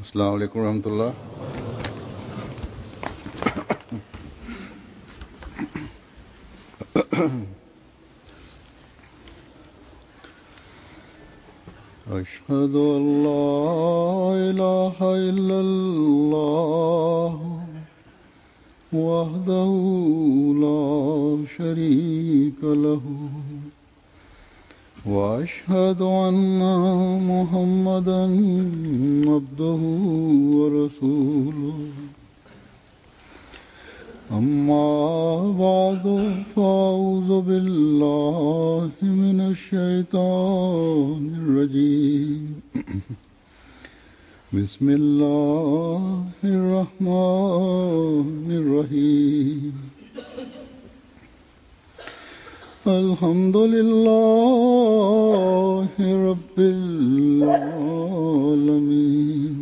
अस्सलाम वालेकुम रहमतुल्लाह। अशहदु अल्ला इलाहा इल्लल्लाह वहदहु ला शरीका लहु वअशहदु अन्ना मुहम्मदन अब्दुहु व रसूलुहु अम्मा बादु फ़अऊज़ु बिल्लाहि मिनश शैतानिर रजीम बिस्मिल्लाहिर रहमानिर रहीम अल्हम्दुलिल्लाहि रब्बिल आलमीन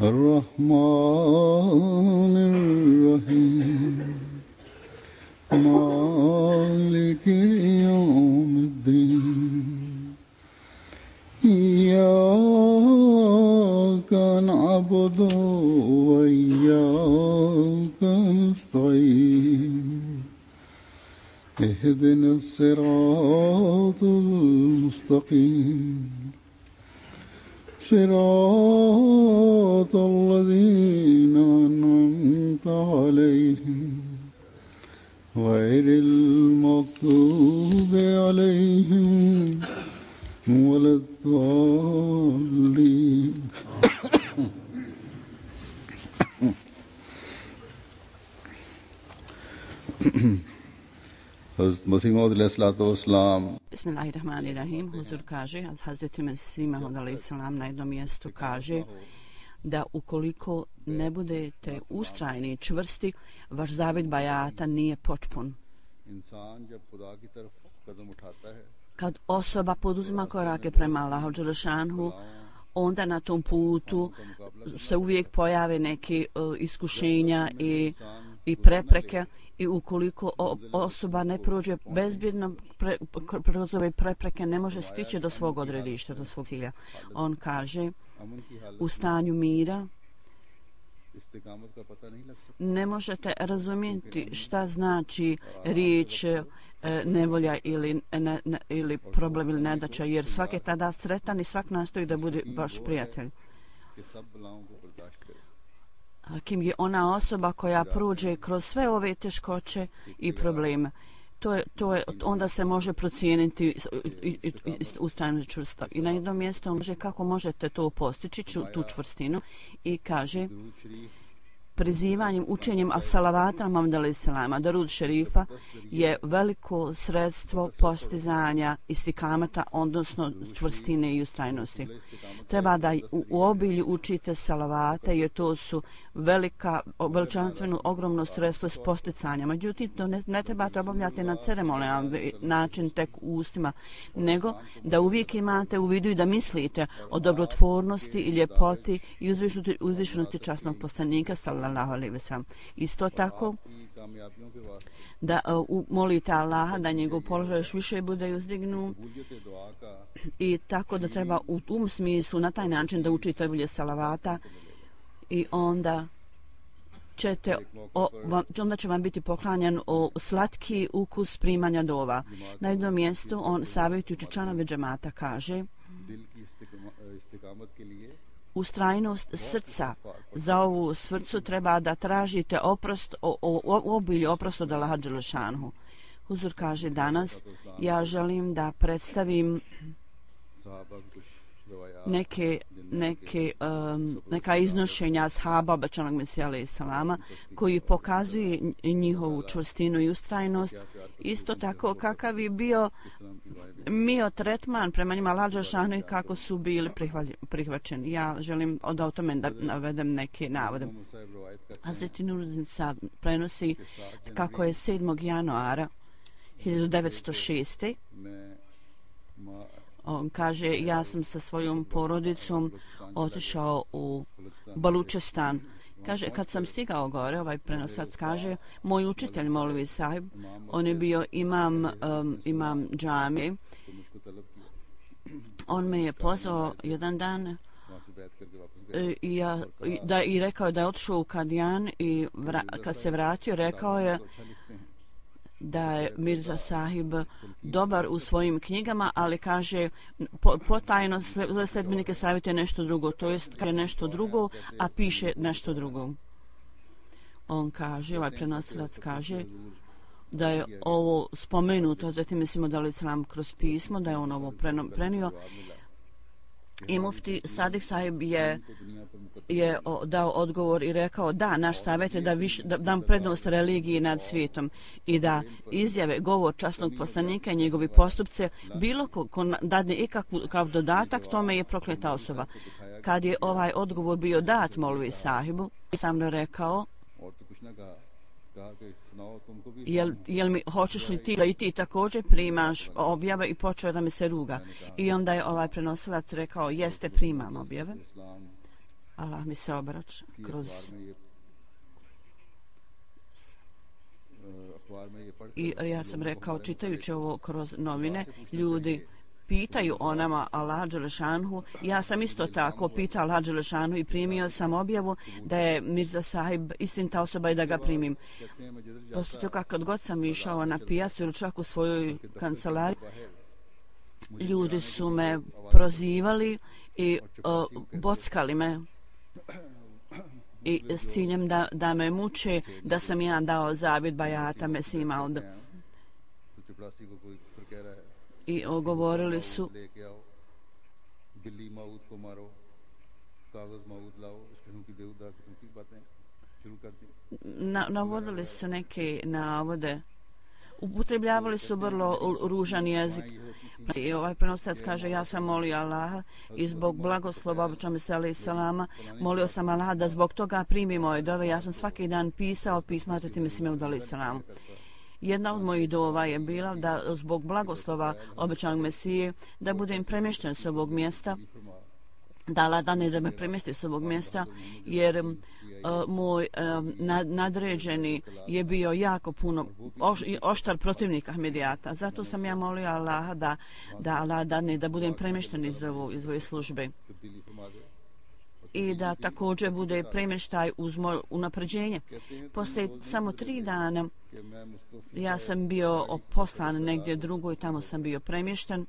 अर्रहमानिर रहीम मालिकि यौमिद्दीन इय्याका नअबुदु व इय्याका नस्तईन इहदिनस सिरातल मुस्तकीम सिरातल लज़ीना अनअमत अलैहिम गैरिल मग़्दूबि अलैहिम वलद्दाल्लीन। मसीह मौद अलैहिस्सलाम Bismillahirrahmanirrahim. Huzur kaže, Hazreti Mesih Maud alejselam na jednom mjestu kaže da ukoliko ne budete ustrajni i čvrsti, vaš zavid bajata nije potpun. Kad osoba poduzima korake prema Allahu dželešanhu, onda na tom putu se uvijek pojave neke iskušenja i prepreke, i ukoliko osoba ne prođe bezbjedno kroz ove prepreke, ne može stići do svog odredišta, do svog cilja. On kaže, u stanju mira ne možete razumjeti šta znači riječ nevolja ili problem ili nedaća, jer svak je tada sretan i svak nastoji da bude baš prijatelj. Kim je ona osoba koja prođe kroz sve ove teškoće i probleme. Onda se može procijeniti ustrajno čvrsto. I na jednom mjestu on kaže kako možete to postići, tu čvrstinu, i kaže prizivanjem, učenjem as-salavata Muhammed alejselama, darud šerifa, je veliko sredstvo postizanja istikamata, odnosno čvrstine i ustrajnosti. Treba da u obilju učite salavate, jer to su veličanstveno ogromno sredstvo s posticanja. Međutim, to ne trebate obavljati na ceremonijalan način tek u ustima, nego da uvijek imate u vidu i da mislite o dobrotvornosti i ljepoti i uzvišenosti časnog poslanika sallallahu alejhi ve sellem. Isto tako da molite Allaha da njegov položaj još više bude uzdignut, i tako da treba u tom smislu na taj način da učite bolje salavata, i onda će vam biti poklanjan slatki ukus primanja dova. Na jednom mjestu on savjetujući članove džemata kaže ustrajnost srca. Za ovu srcu treba da tražite oprost, obilje oprost od Allaha dželešanhu. Huzur kaže danas, ja želim da predstavim neka iznošenja ashaba obećanog Mesija alejselama, koji pokazuje njihovu čvrstinu i ustrajnost. Isto tako kakav je bio tretman prema njima Allaha dželešanhu i kako su bili prihvaćeni. Ja želim da o tome navedem neke navode. Hazreti Nuruddin Sab prenosi kako je 7. januara 1906. On kaže, ja sam sa svojom porodicom otišao u Balučestan. Kaže, kad sam stigao gore, ovaj prenosac kaže, moj učitelj Molvi Sahib, on je bio imam džamije, on me je pozvao jedan dan i rekao je da je otišao u Kadijan i kad se vratio rekao je da je Mirza Sahib dobar u svojim knjigama, ali kaže potajno sledbenike savjetuje nešto drugo, to jest kaže nešto drugo, a piše nešto drugo. On kaže, ovaj prenosilac kaže da je ovo spomenuto, zatim mislimo da li Islam kroz pismo, da je on ovo prenio. I mufti Sadik Sahib je dao odgovor i rekao da, naš savjet je da dam prednost religiji nad svijetom i da izjave, govor časnog poslanika i njegovi postupce, bilo ko dadne ikakav dodatak, tome je prokleta osoba. Kad je ovaj odgovor bio dat Molvi Sahibu, sam rekao, jel mi hoćeš li ti da i ti također primaš objave, i počeo da mi se ruga. I onda je ovaj prenosilac rekao, jeste, primam objave. Allah mi se obraća kroz... I ja sam rekao, čitajući ovo kroz novine, ljudi pitaju o nama Allah Đelešanhu. Ja sam isto tako pitao Allah Đelešanhu i primio sam objavu da je Mirza Sahib istinita osoba i da ga primim. Poslije toga kad god sam išao na pijacu ili čak u svojoj kancelariji, ljudi su me prozivali i bockali me i s ciljem da me muče, da sam ja dao zavjet bajata Mesima ovdje. I govorili su navodili su neke navode, upotrebljavali su vrlo ružan jezik. I ovaj prenosilac kaže, ja sam molio Allaha i zbog blagoslova običame se alaih salama, molio sam Allaha da zbog toga primi moje dove. Ja sam svaki dan pisao pisma Hazreti Mesime alaih salamu. Jedna od mojih dova je bila da zbog blagoslova obećanog Mesije da budem premješten s ovog mjesta, da Allah dane da me premjesti s ovog mjesta, jer moj nadređeni je bio jako puno oštar protivnik Ahmedijata. Zato sam ja molio Allaha da Allah dane da budem premješten iz ove službe i da također bude premještaj uz moje unapređenje. Poslije samo 3 dana ja sam bio poslan negdje drugo i tamo sam bio premješten.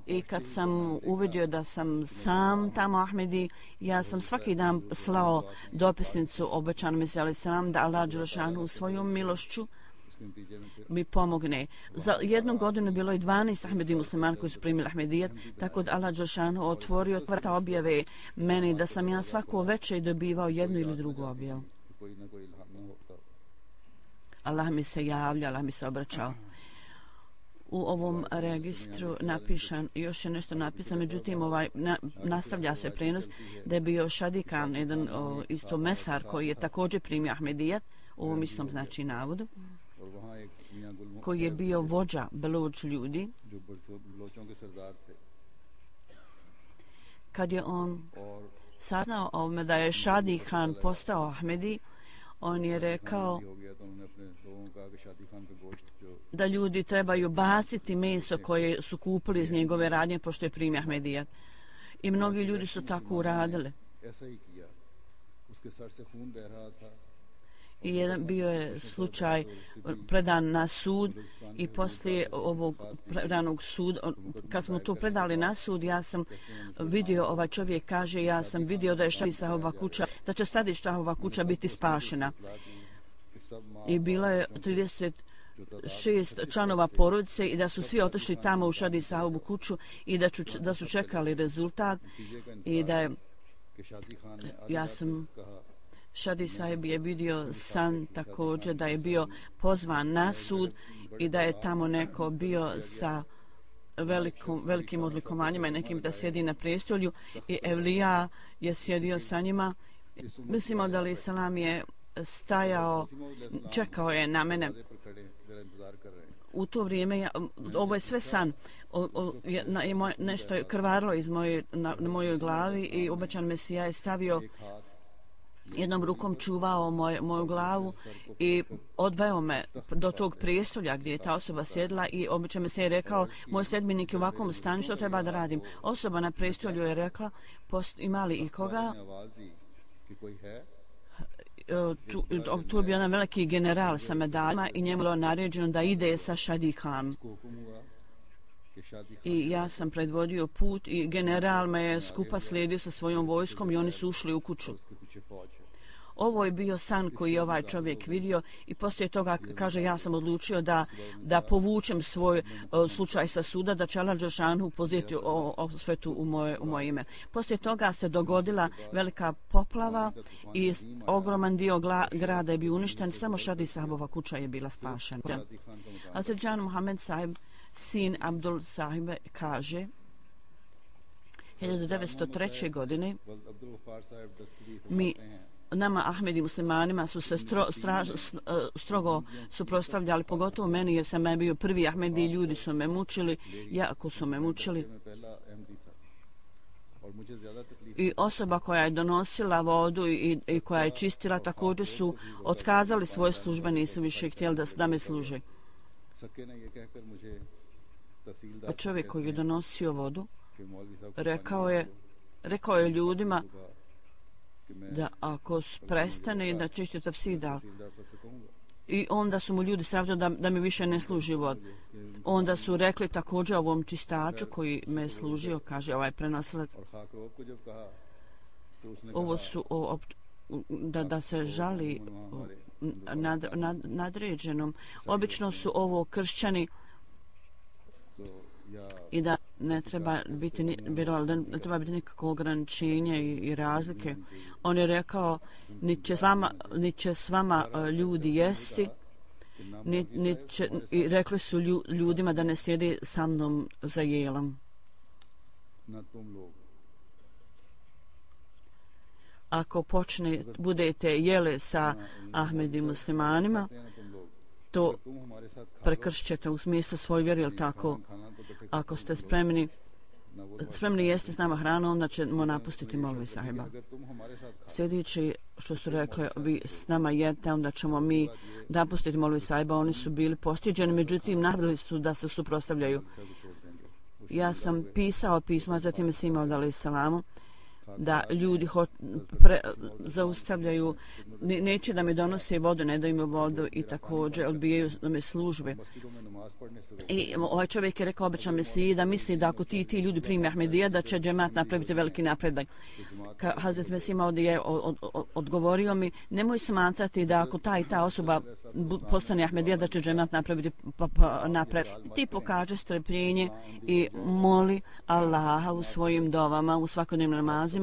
I kad sam uvidio da sam sam tamo Ahmedi, ja sam svaki dan slao dopisnicu obećanom Mesiji alaih salam da Allah Đelešanu svojom milošću mi pomogne. Za jednu godinu bilo je 12 Ahmedi muslimana koji su primili Ahmedijat, tako da Allah Đelešanu otvorio vrata objave meni da sam ja svako večer dobivao jednu ili drugu objavu. Allah mi se javlja, Allah mi se obraćao. U ovom registru napišan, još je nešto napisano, međutim nastavlja se prenos da je bio Šadikan, jedan isto mesar koji je također primio Ahmedijat, u ovom istom znači navodu, koji je bio vođa Beluč ljudi. Kad je on saznao ovome da je Šadi Khan postao Ahmedi, on je rekao da ljudi trebaju baciti meso koje su kupili iz njegove radnje pošto je primio Ahmedijat. I mnogi ljudi su tako uradili. I jedan bio je slučaj predan na sud i poslije ovog predanog suda, kad smo to predali na sud, ja sam vidio, ovaj čovjek kaže, ja sam vidio da je Šahova kuća, da će Šahova kuća biti spašena. I bilo je 36 članova porodice i da su svi otišli tamo u Šahovu kuću i da su čekali rezultat i da je, ja sam Šadi Sahib je vidio san također da je bio pozvan na sud i da je tamo neko bio sa velikim odlikovanjima i nekim da sjedi na prestolju i Evlija je sjedio sa njima. Mislimo da li Salam je stajao, čekao je na mene. U to vrijeme, ovo je sve san, nešto je krvarilo na mojoj glavi i obećan Mesija je stavio jednom rukom čuvao moju glavu i odveo me do tog prijestolja gdje je ta osoba sjedla i obično mi se je rekao, moj sedminik je u ovakvom stanju, što treba da radim. Osoba na prijestolju je rekla, ima li ikoga? Tu je bio jedan veliki general sa medaljama i njemu je naređeno da ide sa Šadi Khan. I ja sam predvodio put i general me je skupa slijedio sa svojom vojskom i oni su ušli u kuću. Ovo je bio san koji je ovaj čovjek vidio i poslije toga, kaže, ja sam odlučio da povučem svoj slučaj sa suda, da će Allah Đelešanu pozijeti osvetu u moje ime. Poslije toga se dogodila velika poplava i ogroman dio grada je bio uništen, samo Šadi Sahabova kuća je bila spašena. Hazrat Muhammed Sahib, sin Abdul Sahibe, kaže 1903. godine nama Ahmedi muslimanima su se strogo suprotstavljali, pogotovo meni jer sam bio prvi Ahmedi, ljudi su me mučili, jako su me mučili. I osoba koja je donosila vodu i koja je čistila također su otkazali svoje službe, nisu više htjeli da me služe. Čovjek koji je donosio vodu rekao je ljudima da ako prestane da čisti tafsida, i onda su mu ljudi savjetili da mi više ne služi vod. Onda su rekli također ovom čistaču koji me je služio, kaže ovaj prenosilac, ovo su da se žali nadređenom. Obično su ovo kršćani i da ne treba biti nikakvo ograničenje i razlike. On je rekao, niti će s vama ljudi jesti, i rekli su ljudima da ne sjede sa mnom za jelom. Ako budete jeli sa Ahmedi muslimanima, to prekršćete u smislu svoj vjeri, ili tako? Ako ste spremni jesti s nama hranu, onda ćemo napustiti Molvi Sahiba. Sljedeći što su rekli, vi s nama jedete, onda ćemo mi napustiti Molvi Sahiba. Oni su bili postiđeni, međutim napravili su da se suprotstavljaju. Ja sam pisao pisma, zatim se imao dali salamu, da ljudi zaustavljaju, neće da mi donose vodu, ne daju mi vodu i također odbijaju da me službe. I ovaj čovjek je rekao obično Mesiji da misli da ako ti ljudi primi Ahmedija da će džemat napraviti veliki napredak. Hazret Mesih ovdje je odgovorio mi, nemoj smatrati da ako ta i ta osoba postane Ahmedija da će džemat napraviti napredak. Ti pokaže strpljenje i moli Allaha u svojim dovama, u svakodnevnim namazima,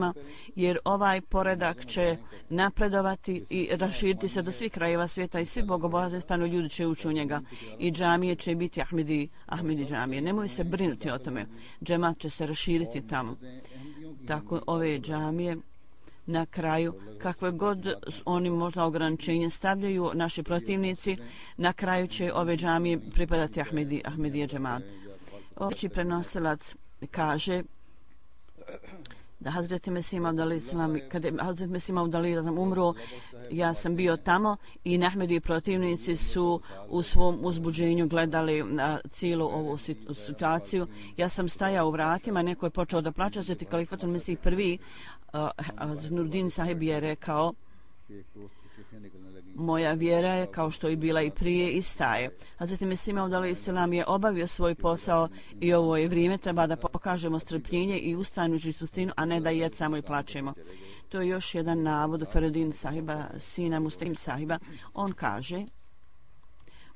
jer ovaj poredak će napredovati i raširiti se do svih krajeva svijeta i svi bogobojazni spano ljudi će ući u njega i džamije će biti Ahmedi džamije. Nemoj se brinuti o tome. Džemat će se raširiti tamo. Tako ove džamije na kraju, kakve god oni možda ograničenje stavljaju, naši protivnici, na kraju će ove džamije pripadati Ahmedije džemat. Oveći prenosilac kaže da Hazreti Mesih Maud al-Islam, kada je Hazreti Mesih Maud al-Islam umro, ja sam bio tamo i Ahmedi protivnici su u svom uzbuđenju gledali na cijelu ovu situaciju. Ja sam stajao u vratima, neko je počeo da plaća, Hazreti Kalifatul Mesih prvi, Nurdin Sahib je rekao, moja vjera je kao što je bila i prije i staje. Hazreti Mesih Maud al-Islam je obavio svoj posao i ovo je vrijeme, treba da pokažemo strpljenje i ustrajnu čvrstinu, a ne da jecamo i plačemo. To je još jedan navod Feridin Sahiba, sina Muslim Sahiba. On kaže,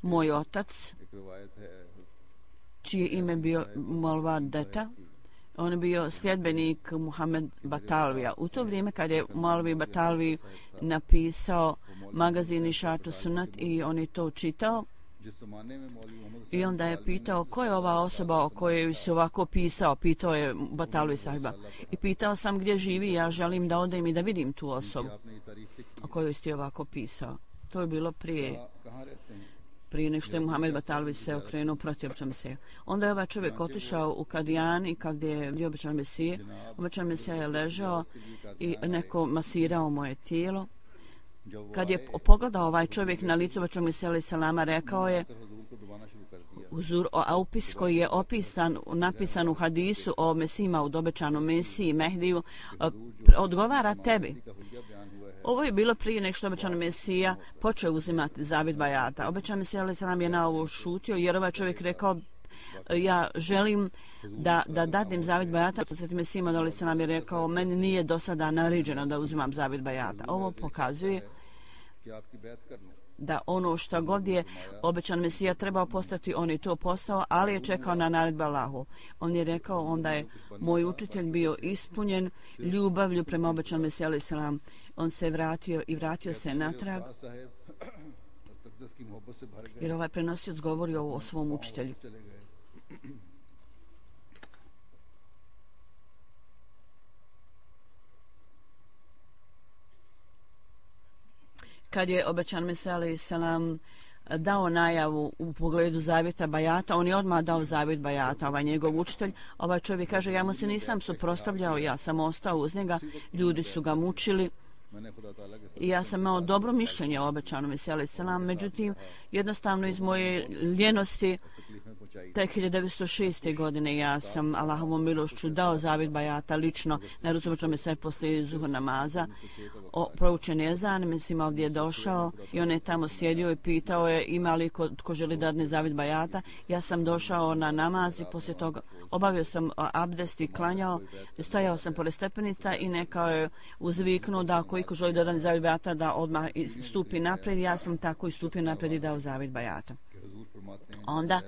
moj otac, čije ime bio Molva Deta, on je bio sljedbenik Muhammed Batalvija. U to vrijeme kad je Molvi Batalvi napisao magazin Išatu Sunat i on je to čitao, i onda je pitao ko je ova osoba o kojoj se ovako pitao je Batalvi Sahiba. I pitao sam gdje živi, ja želim da odem i da vidim tu osobu o kojoj ste ovako pisao. To je bilo prije nego što je Muhammed Batalvi se okrenuo protiv običan Mesije. Onda je ovaj čovjek otišao u Kadijan i kad je običan Mesije, običan Mesija je ležao i neko masirao moje tijelo Kad je pogledao ovaj čovjek na licu Obećanog Mesija alejhi selama, rekao je opis koji je napisan u hadisu o Mesijima, u obećanom Mesiji Mehdiju, odgovara tebi. Ovo je bilo prije nego što obećani Mesija počeo uzimati zavid bajata. Obećani Mesija alejhi selam je na ovo šutio jer ovaj čovjek rekao ja želim da dadim zavid bajata. Sveti Mesija alejhi selam je rekao meni nije do sada naređeno da uzimam zavid bajata. Ovo pokazuje da ono što god je obećan Mesija trebao postati, on je to postao, ali je čekao na naredbu Allahu. On je rekao, onda je moj učitelj bio ispunjen ljubavlju prema obećanom Mesiji alejhi selam. On se vratio i vratio se natrag, jer ovaj prenosioc govori o svom učitelju. Kad je obećan Mesija alejhi selam dao najavu u pogledu zavjeta bajata, on je odmah dao zavjet bajata, ovaj njegov učitelj. Ovaj čovjek kaže, ja mu se nisam suprotstavljao, ja sam ostao uz njega, ljudi su ga mučili i ja sam imao dobro mišljenje o obećanom Mesiji alejhi selam, međutim, jednostavno iz moje ljenosti, tek 1906. godine ja sam Allahovom milošću dao zavjet bajata lično na rucu obećanog Mesija poslije zuhur namaza. Proučen je ezan, mislim ovdje je došao i on je tamo sjedio i pitao je ima li ko želi dadne zavjet bajata. Ja sam došao na namaz i poslije toga obavio sam abdest i klanjao, stajao sam pored stepenica i nekao je uzviknuo da ako iko želi dadne zavjet bajata da odmah stupi naprijed. Ja sam tako i stupio naprijed i dao zavjet bajata. Onda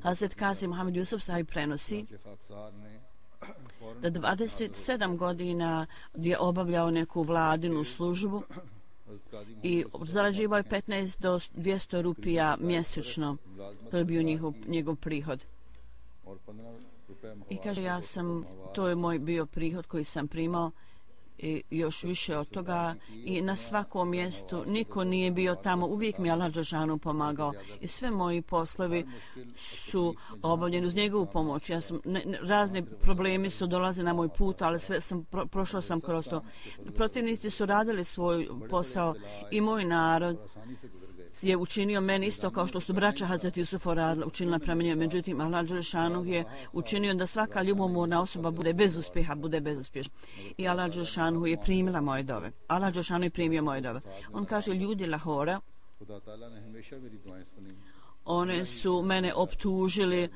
Hazret Kazi Muhammed Jusuf sahib prenosi da 27 godina je obavljao neku vladinu službu i zarađivao je 15 do 200 rupija mjesečno. To je bio njegov prihod. I kaže, to je moj bio prihod koji sam primao i još više od toga i na svakom mjestu niko nije bio tamo, uvijek mi Allah dželešanu pomagao i sve moji poslovi su obavljeni uz njegovu pomoć. Ja sam razni problemi su dolazili na moj put, ali sve sam prošao sam kroz to. Protivnici su radili svoj posao i moj narod je učinio meni isto kao što su braća Hazreti Jusufa učinila prema njemu. Međutim, Allah dželešanu je učinio da svaka ljubomorna osoba bude bez uspjeha, bude bezuspješna. I Allah dželešanu je primila moje dove. Allah dželešanu je primio moje dove. On kaže, ljudi Lahora, one su mene optužili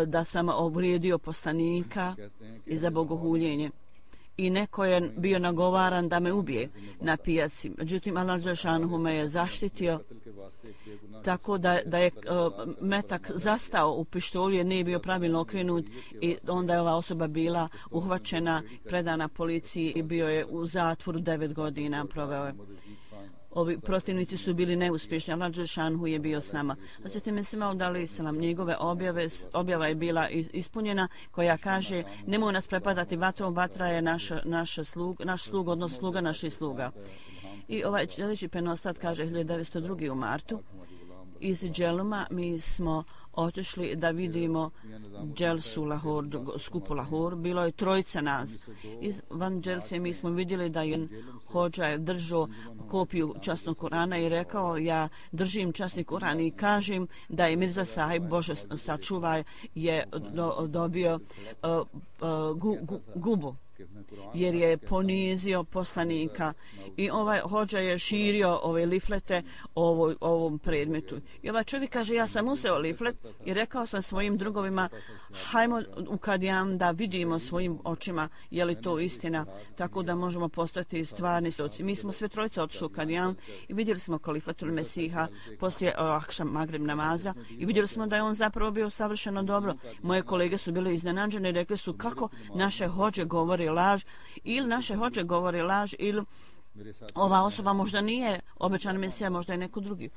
da sam uvrijedio poslanika i za bogohuljenje. I neko je bio nagovaran da me ubije na pijaci. Međutim, Allah dželešanu me je zaštitio tako da je metak zastao u pištolju jer nije bio pravilno okrenut i onda je ova osoba bila uhvaćena, predana policiji i bio je u zatvoru 9 godina proveo je. Ovi protivnici su bili neuspješni, Allah dželešanu je bio s nama. Hazreti Mesih Maud alejhi selam, njegove objava je bila ispunjena koja kaže nemoj nas prepadati vatrom, vatra je naš slug, odnosno sluga naših sluga. I ovaj sljedeći penostat kaže 1902. u martu iz Dželuma mi smo otišli da vidimo Dželsu Lahor, skupu Lahor. Bilo je trojica nas. Van Dželse mi smo vidjeli da je hođa je držao kopiju časnog Kurana i rekao ja držim časni Kuran i kažem da je Mirza sahib, Bože sačuvaj, je dobio gubu jer je ponizio poslanika i ovaj hođa je širio ove liflete o ovom predmetu. I ovaj čovjek kaže ja sam uzeo liflet i rekao sam svojim drugovima hajmo u Kadijan da vidimo svojim očima je li to istina, tako da možemo postati stvarni svjedoci. Mi smo sve trojice otišli u Kadijan i vidjeli smo Kalifatul Mesiha poslije Akšam Magrib namaza i vidjeli smo da je on zapravo bio savršeno dobro. Moje kolege su bile iznenađene i rekli su kako naše hođe govori laž ili naše hođe govori laž ili ova osoba možda nije obećan Mesija, možda je neko drugi.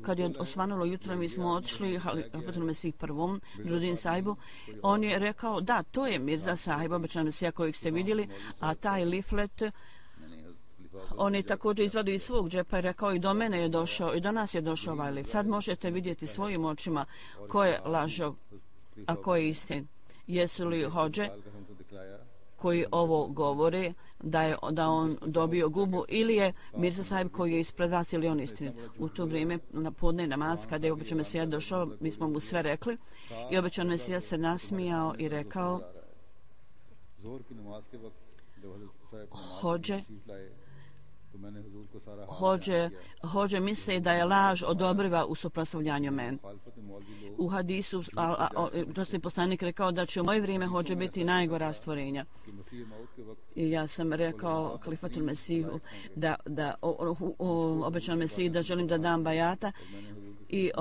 Kad je osvanulo jutro, mi smo otišli Halifatul Mesih prvom, Rudin sahibu, on je rekao da, to je Mirza sahib, obećan Mesija kojeg ste vidjeli, a taj liflet on je također izvadio iz svog džepa i rekao i do mene je došao i do nas je došao ovaj liflet. Sad možete vidjeti svojim očima ko je lažov, a ko je istin. Jesu li hođe koji ovo govore da on dobio gubu, ili je Mirza Sahib koji je ispred vas, ili on istinit. U to vrijeme na podne namaz, kada je obećan Mesija došao, mi smo mu sve rekli i obećan Mesija se nasmijao i rekao: Hođe misle da je laž odobriva u suprotstavljanju meni. U hadisu dosta poslanik rekao da će u moje vrijeme hođe biti najgora stvorenja. I ja sam rekao Kalifatul Mesiju da obećan Mesiji da želim da dam bajata i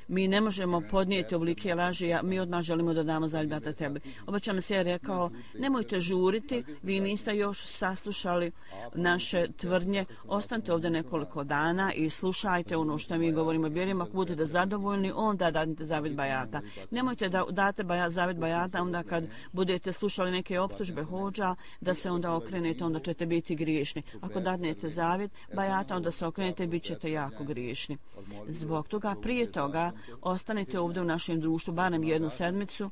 mi ne možemo podnijeti ovolike laži, mi odmah želimo da damo zaljubata tebi. Obećan Mesija je rekao: nemojte žuriti, vi niste još saslušali naše tvrdnje, ostanite ovdje nekoliko dana i slušajte ono što mi govorimo. Vjerujemo, ako budete zadovoljni, onda dadite zavjet bajata. Nemojte da date zavjet bajata onda kad budete slušali neke optužbe hođa, da se onda okrenete, onda ćete biti griješni. Ako dadnete zavjet bajata, onda se okrenete i bit ćete jako griješni. Zbog toga, prije toga, ostanite ovdje u našem društvu barem jednu sedmicu.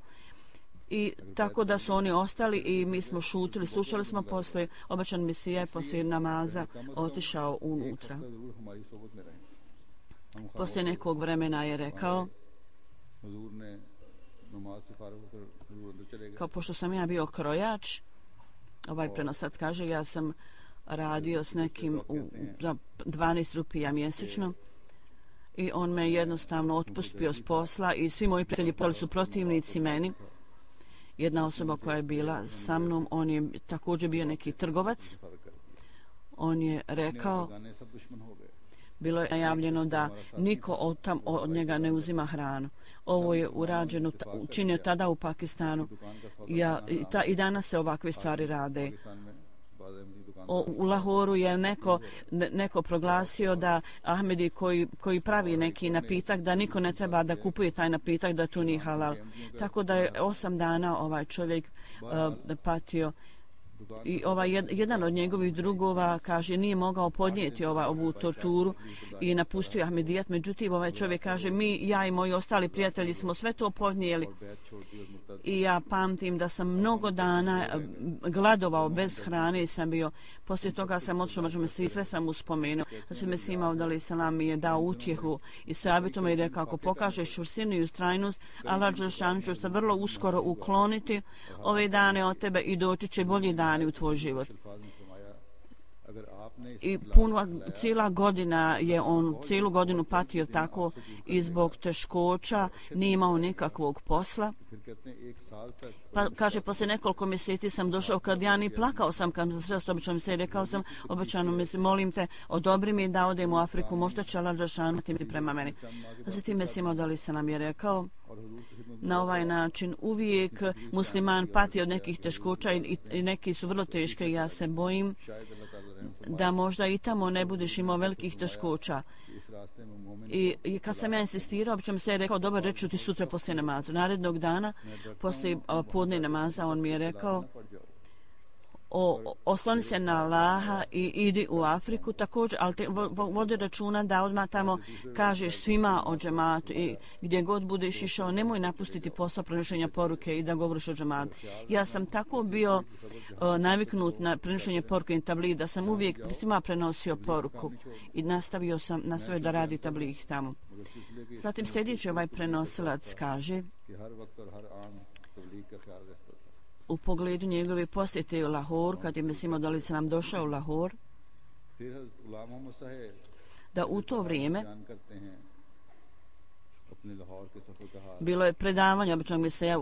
I tako da su oni ostali i mi smo šutili, slušali smo. Posle obećan Mesija je poslije namaza otišao unutra. Poslije nekog vremena je rekao, kao pošto sam ja bio krojač, ovaj prenosac kaže, ja sam radio s nekim za 12 rupija mjesečno i on me jednostavno otpustio s posla i svi moji prijatelji poli su protivnici meni. Jedna osoba koja je bila sa mnom, on je također bio neki trgovac. On je rekao, bilo je najavljeno da niko od njega ne uzima hranu. Ovo je urađeno, učinio tada u Pakistanu. I danas se ovakve stvari rade. U Lahoru je neko proglasio da Ahmedi koji pravi neki napitak, da niko ne treba da kupuje taj napitak, da to nije halal. Tako da je 8 dana ovaj čovjek patio. I jedan od njegovih drugova kaže nije mogao podnijeti ovu torturu i napustio Ahmedijat. Međutim, ovaj čovjek kaže ja i moji ostali prijatelji smo sve to podnijeli. I ja pamtim da sam mnogo dana gladovao bez hrane i sam bio. Poslije toga sam otišao, sve sam mu spomenuo. Da se Mesih Maud selam mi je dao utjehu i savjetom i rekao: ako pokažeš čvrstinu i ustrajnost, Allah dželešanu će se vrlo uskoro ukloniti ove dane od tebe i doći će bolji dani u tvoj život. I cijela godina je on cijelu godinu patio tako i zbog teškoća nije imao nikakvog posla. Pa kaže, poslije nekoliko mjeseci sam došao kad ja ni plakao sam kad sam sreo obećanom se i rekao sam obećanom Mesiji, molim te, odobri mi da odem u Afriku, možda će Allah dželešanu prema meni. Zatim Mesih Maud selam je rekao: na ovaj način uvijek musliman pati od nekih teškoća i neki su vrlo teške i ja se bojim da možda i tamo ne budeš imao velikih teškoća. I kad sam ja insistirao, obično se je rekao: dobro, reću ti sutra poslije namaza. Narednog dana, poslije podne namaza, on mi je rekao: osloni se na Allaha i idi u Afriku također, ali vodi računa da odmah tamo kažeš svima o džematu i gdje god budeš išao, nemoj napustiti posao prenošenja poruke i da govoriš o džematu. Ja sam tako bio naviknut na prenošenje poruke i tabligh da sam uvijek svima prenosio poruku i nastavio da radi tabligh tamo. Zatim sljedeći ovaj prenosilac kaže u pogledu njegove posjete u Lahor, kad je Mesih Maud selam došao u Lahor, da u to vrijeme bilo je predavanje običnog Mesija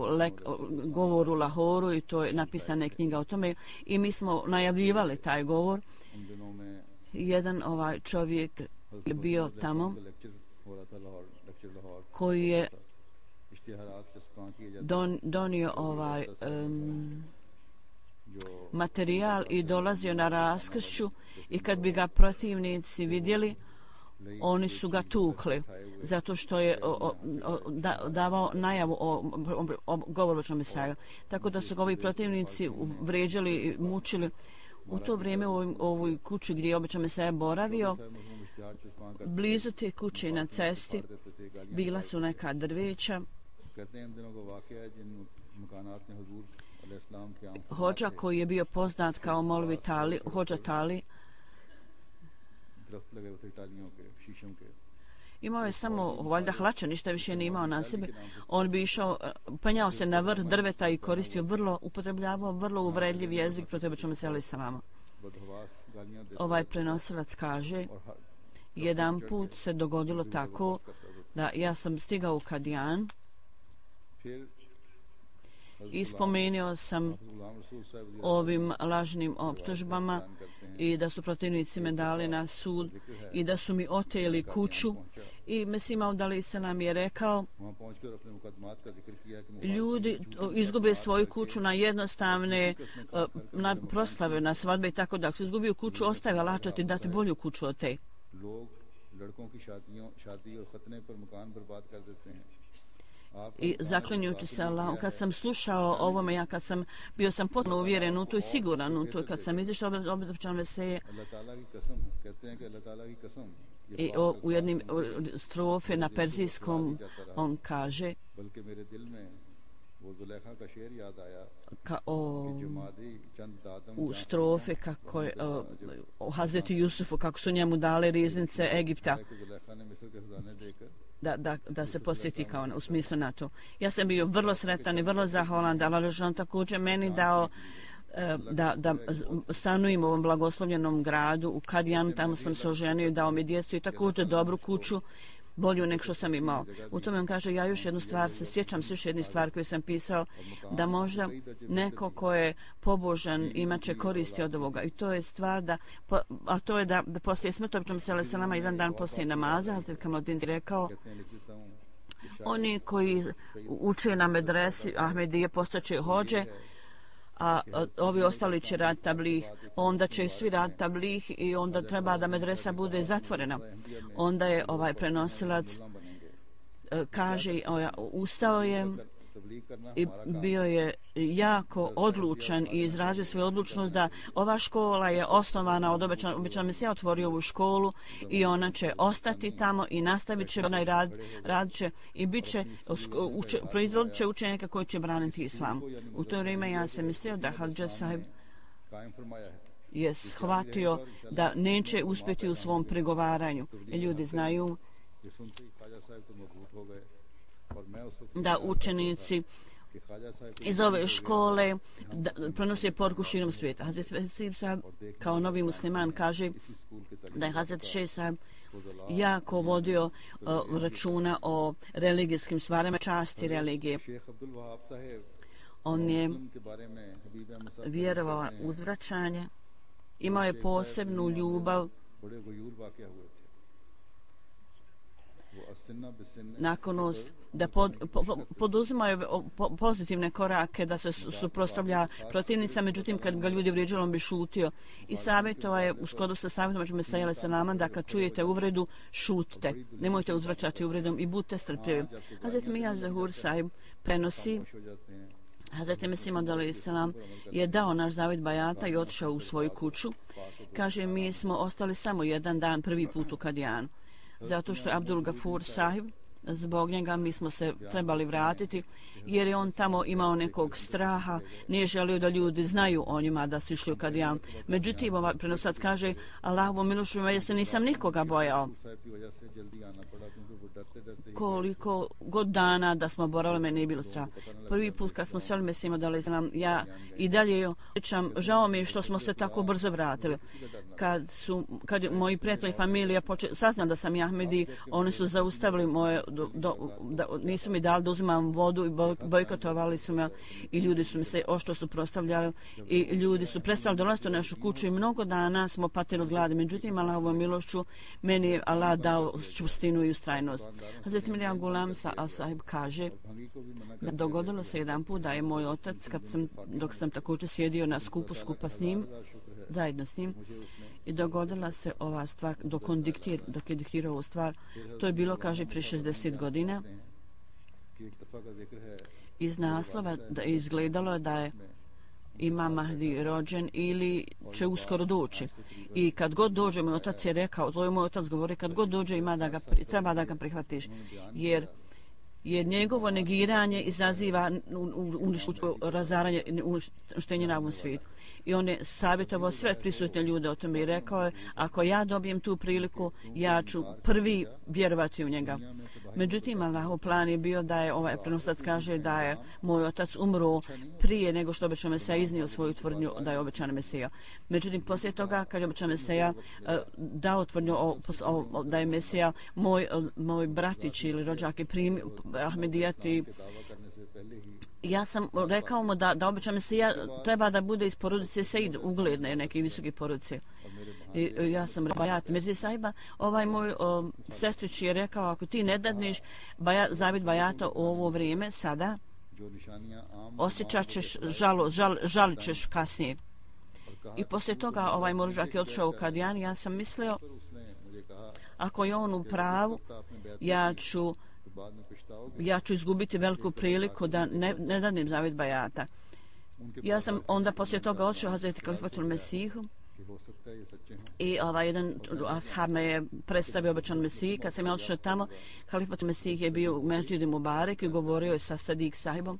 govor u Lahoru i to je napisana knjiga o tome i mi smo najavljivali taj govor. Jedan ovaj čovjek je bio tamo koji je donio ovaj materijal i dolazio na raskršću i kad bi ga protivnici vidjeli, oni su ga tukli zato što je davao najavu o govoru Mesiju. Tako da su ga ovi protivnici vređali i mučili. U to vrijeme u ovoj kući gdje je obično Mesija boravio, blizu te kuće na cesti bila su neka drveća Hođa koji je bio poznat kao Molvi Tali, Hođa Tali, imao je samo valjda hlače, ništa više nije imao na sebi. On bi išao, penjao se na vrh drveta i koristio upotrebljavao vrlo uvredljiv jezik protiv običnog mesela salama. Ovaj prenosilac kaže, jedan put se dogodilo tako da ja sam stigao u Kadijan i spomenuo sam ovim lažnim optužbama i da su protivnici me dali na sud i da su mi oteli kuću i Mesih Maud alejhi selam je rekao, ljudi izgube svoju kuću na jednostavne na proslave, na svadbe i tako da. Ako se izgubio kuću, ostaje Allah će ti dati bolju kuću od te. I zaklinjući se Allahom, kad sam slušao ovome, ja kad sam bio sam potpuno uvjeren u to i siguran u to, kad sam izišao od običan veselje i u jednim strofe na perzijskom on kaže u strofe kako je o Hazreti Jusufu, kako su njemu dale riznice Egipta, da se podsjeti kao u smislu na to. Ja sam bio vrlo sretan i vrlo zahvalan da Allah on također meni dao da stanujem u ovom blagoslovljenom gradu u Kadijanu, tamo sam se oženio i dao mi djecu i također dobru kuću, bolju nek što sam imao. U tome on kaže, ja još jednu stvar se sjećam, još jednu stvar koju sam pisao, da možda neko ko je pobožan imat će koristi od ovoga. I to je stvar a to je da poslije smrti običnom mesela selama, jedan dan poslije namaza, Hazret Kamaldin rekao, oni koji uče na medresi Ahmedije postaće hođe, a ovi ostali će raditi tablih, onda će svi raditi tablih i onda treba da medresa bude zatvorena. Onda je ovaj prenosilac kaže, ustao je i bio je jako odlučan i izrazio svoju odlučnost da ova škola je osnovana od običan Mesija otvorio ovu školu i ona će ostati tamo i nastavit će onaj rad će i bit će proizvodit će učenjaka koji će braniti islam. U to vrijeme ja sam mislio da Hadža Sahib je shvatio da neće uspjeti u svom pregovaranju. I ljudi znaju da učenici iz ove škole prenose poruku širom svijeta. Hazret Vesib Sahib kao novi musliman kaže da je Hazret Šejh Sahib jako vodio računa o religijskim stvarima, časti religije. On je vjerovao uzvraćanje, imao je posebnu ljubav naklonost da poduzimaju pozitivne korake, da se suprotstavlja protivnica, međutim kad ga ljudi vrijeđali on bi šutio. I savjetovao je u skladu sa savjetom Mesija alejhi selam da kad čujete uvredu šutite, nemojte uzvraćati uvredom i budite strpljivi. Hazret Mija Zahur Sahib prenosi, Hazret Mesih Maud alejhi selam je dao naš zavjet bajata i otišao u svoju kuću. Kaže, mi smo ostali samo jedan dan prvi put u Kadijanu, zato što je Abdul Gafur Sahib, zbog njega mi smo se trebali vratiti, jer je on tamo imao nekog straha, nije želio da ljudi znaju o njima da su išli u Kadijan. Međutim, ovaj prenosat kaže, Allahovom milošću ja se nisam nikoga bojao. Koliko god dana da smo boravili, meni nije bilo strah. Prvi put kad smo sjeli Mesih Maud alejhi selam, ja i dalje osjećam, žao mi je što smo se tako brzo vratili. Kad moji prijatelji, familija saznali da sam Ahmedi, oni su zaustavili moje, nisu mi dali da uzimam vodu i bojkotovali su me i ljudi su mi se oštro suprotstavljali i ljudi su prestali dolaziti u našu kuću i mnogo dana smo patili od gladi. Međutim, Allahovom milošću meni je Allah dao čvrstinu i ustrajnost. Hazret Mirja Gulam Sahib kaže da dogodilo se jedan put da je moj otac, dok sam također sjedio na skupu skupa s njim, zajedno s njim, i dogodila se ova stvar dok je diktirao ovu stvar. To je bilo, kaže, prije 60 godina. Iz naslova da je izgledalo da je Imam Mahdi rođen ili će uskoro doći. I kad god dođe, moj otac je rekao, to je moj otac govori, kad god dođe treba da ga prihvatiš. Jer jer njegovo negiranje izaziva razaranje, uništenje na ovom svijetu. I on je savjetovao sve prisutne ljude o tome i rekao je, ako ja dobijem tu priliku, ja ću prvi vjerovati u njega. Međutim, Allahov plan je bio da je ovaj prenosac kaže da je moj otac umro prije nego što obećan Mesija iznio svoju tvrdnju da je obećan Mesija. Međutim, poslije toga, kad je obećan Mesija dao tvrdnju da je Mesija moj bratić ili rođak je primio Ahmedijati, ja sam rekao mu da obećan Mesija treba da bude iz porodice Sejd, ugledne neke visoke porodice. I ja sam Bajat Mirzi Sahiba, ovaj moj sestrić je rekao, ako ti ne dadneš zavid Bajata u ovo vrijeme, sada, osjećat ćeš žalit ćeš kasnije. I poslije toga ovaj moržak je otišao u Kadijan, ja sam mislio, ako je on u pravu, ja ću izgubiti veliku priliku da ne danim zavid Bajata. Ja sam onda poslije toga otišao Hazreti Kalifatul Mesihu i jedan ashab me je predstavio obećan Mesiji. Kad sam ja otišao tamo, Kalifatul Mesih je bio u Mesdžidu Mubarek i govorio je sa Sadik sahibom.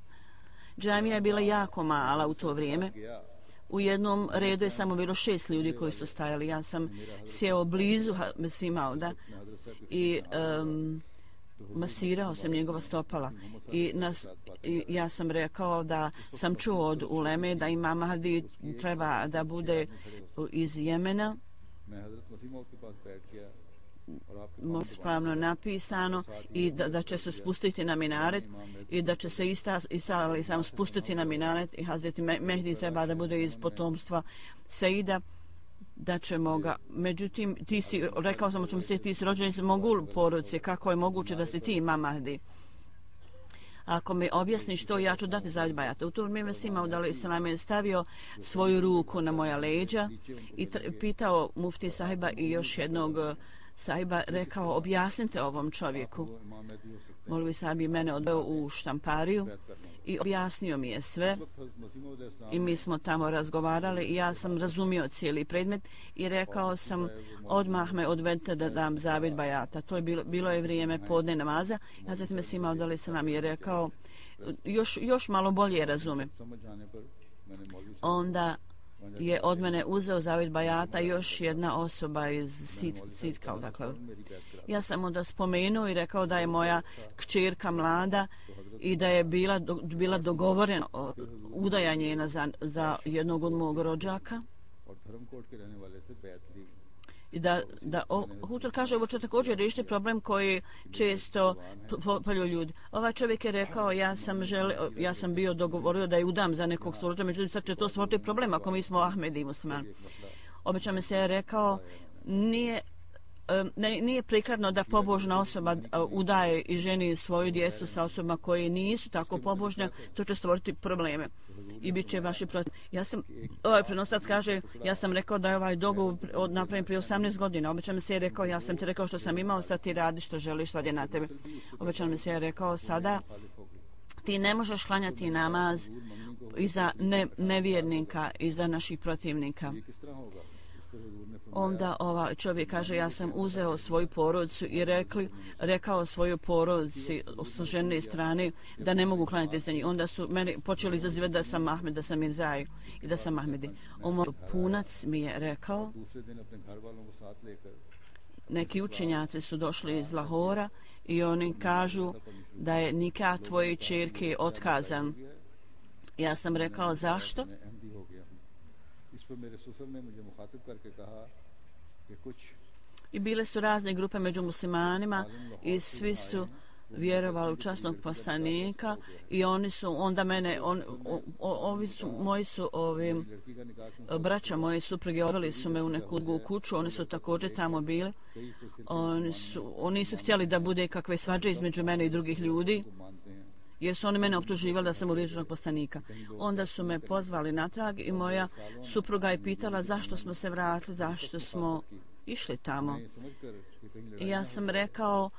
Džamija je bila jako mala u to vrijeme. U jednom redu je samo bilo 6 ljudi koji su stajali. Ja sam sjeo blizu svima ovda i masirao sam njegova stopala i ja sam rekao da sam čuo od uleme da Imam Mahdi treba da bude iz Jemena, pravno napisano, i da će se spustiti na minaret i da će se Isa alejselam spustiti na minaret i Hazreti Mehdi treba da bude iz potomstva Seida, da ćemo ga. Međutim, rekao sam ćemo se, ti si rođen iz Mogul porodice, kako je moguće da si ti Imam Mahdi? Ako mi objasniš to, ja ću dati zavid Bajata. U to vrijeme Simaud alejselam je stavio svoju ruku na moja leđa i pitao mufti sahiba i još jednog sahiba, rekao, objasnite ovom čovjeku. Molvi sahib je mene odveo u štampariju i objasnio mi je sve i mi smo tamo razgovarali i ja sam razumio cijeli predmet i rekao sam, odmah me odvedite da dam zavid Bajata. To je bilo je vrijeme podne namaza. Ja zatim me Simaud alejselam je rekao, još malo bolje razumem. Onda je od mene uzeo zavid Bajata još jedna osoba iz Sitkal. Dakle. Ja sam onda spomenuo i rekao da je moja kćerka mlada i da je bila dogovorena udajanje za jednog od mog rođaka. I da Hutor kaže, ovo će također riješiti problem koji često polju ljudi. Ovaj čovjek je rekao, ja sam bio dogovorio da je udam za nekog svorođa, međutim sad će to stvoriti problem ako mi smo Ahmedi i muslimani. Obećan mi se je rekao, nije prikladno da pobožna osoba udaje i ženi svoju djecu sa osobama koje nisu tako pobožne, to će stvoriti probleme i bit će vaši protiv. Ovaj prenosac kaže, ja sam rekao da je ovaj dogovor napravljen prije 18 godina. Obećan mi se je rekao, ja sam ti rekao što sam imao, sad ti radi što želiš, sad je na tebe. Obećan mi se je rekao, sada ti ne možeš klanjati namaz iza nevjernika, iza naših protivnika. Onda ovaj čovjek kaže, ja sam uzeo svoju porodicu i rekao svojoj porodici sa žene strane da ne mogu klanjati za njih. Onda su meni počeli izazivati da sam Ahmed, da sam Mirzaj i da sam Ahmedi. Punac mi je rekao, neki učenjaci su došli iz Lahora i oni kažu da je nikah tvoje ćerke otkazan. Ja sam rekao, zašto? I bile su razne grupe među muslimanima i svi su vjerovali u časnog poslanika i oni su onda mene braća moje supruge odveli su me u neku drugu kuću, oni su također tamo bili. Oni nisu htjeli da bude kakve svađe između mene i drugih ljudi, jer su oni mene optuživali da sam uvrijeđenog poslanika. Onda su me pozvali natrag i moja supruga je pitala zašto smo se vratili, zašto smo išli tamo. I ja sam rekao,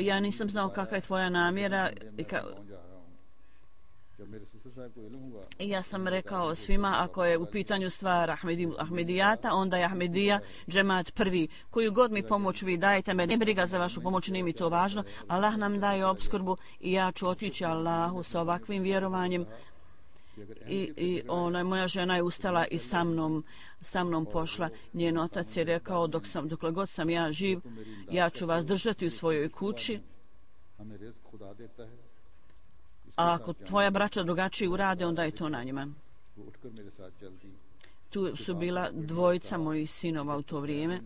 ja nisam znao kakva je tvoja namjera. I ja sam rekao svima, ako je u pitanju stvar Ahmedijata, onda je Ahmedija džemat prvi. Koju god mi pomoć vi dajete, me ne briga za vašu pomoć, nije mi to važno. Allah nam daje opskrbu i ja ću otići Allahu sa ovakvim vjerovanjem. I moja žena je ustala i sa mnom pošla. Njen otac je rekao, dokle god sam ja živ, ja ću vas držati u svojoj kući. A ako tvoja braća drugačije urade, onda je to na njima. Tu su bila dvojica mojih sinova u to vrijeme.